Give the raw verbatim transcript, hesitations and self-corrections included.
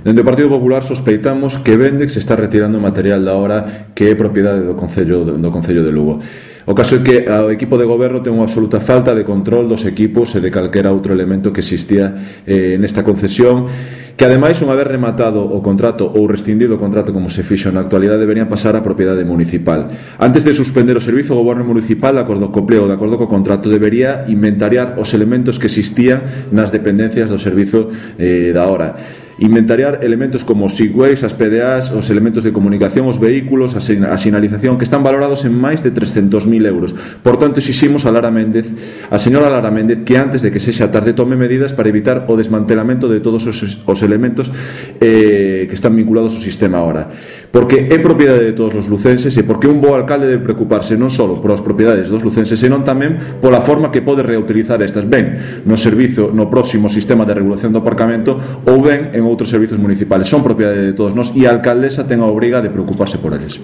Dende o Partido Popular sospeitamos que Vendex está retirando material da obra que é propiedade do Concello, do Concello de Lugo. O caso é que o equipo de goberno ten unha absoluta falta de control dos equipos e de calquera outro elemento que existía eh, nesta concesión, que ademais, unha vez rematado o contrato ou rescindido o contrato como se fixo na actualidade, deberían pasar á propiedade municipal. Antes de suspender o servizo, o goberno municipal, de acordo co pleo, de acordo co contrato, debería inventariar os elementos que existían nas dependencias do servizo eh, da hora. Inventariar elementos como os segways, as P D As, os elementos de comunicación, os vehículos, a sinalización, que están valorados en máis de trescentos mil euros. Por tanto, exiximos a Lara Méndez, a señora Lara Méndez, que antes de que sexa tarde tome medidas para evitar o desmantelamento de todos os, os elementos eh, que están vinculados ao sistema ahora. Porque é propiedade de todos os lucenses e porque un bo alcalde debe preocuparse non só por as propiedades dos lucenses, senón tamén pola forma que pode reutilizar estas, ben no servizo, no próximo sistema de regulación do aparcamento ou ben en outros servizos municipales. Son propiedade de todos nós e a alcaldesa ten a obriga de preocuparse por eles.